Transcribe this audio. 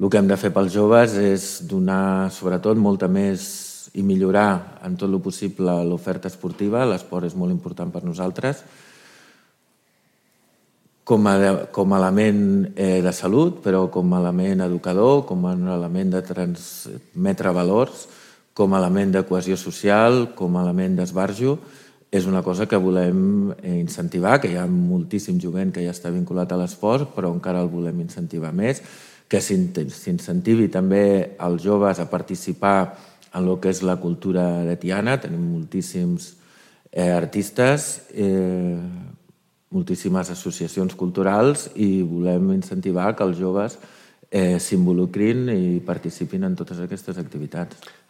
El que hem de fer pels joves és donar, sobretot, molta més i millorar en tot el possible l'oferta esportiva. L'esport és molt important per nosaltres com a element de salut, però com a element educador, com a element de transmetre valors, com a element de cohesió social, com a element d'esbarjo. És una cosa que volem incentivar, que hi ha moltíssim jovent que ja està vinculat a l'esport, però encara el volem incentivar més, que s'incentivi també els joves a participar en el que és la cultura aretiana. Tenim moltíssims artistes, moltíssimes associacions culturals i volem incentivar que els joves s'involucrin i participin en totes aquestes activitats.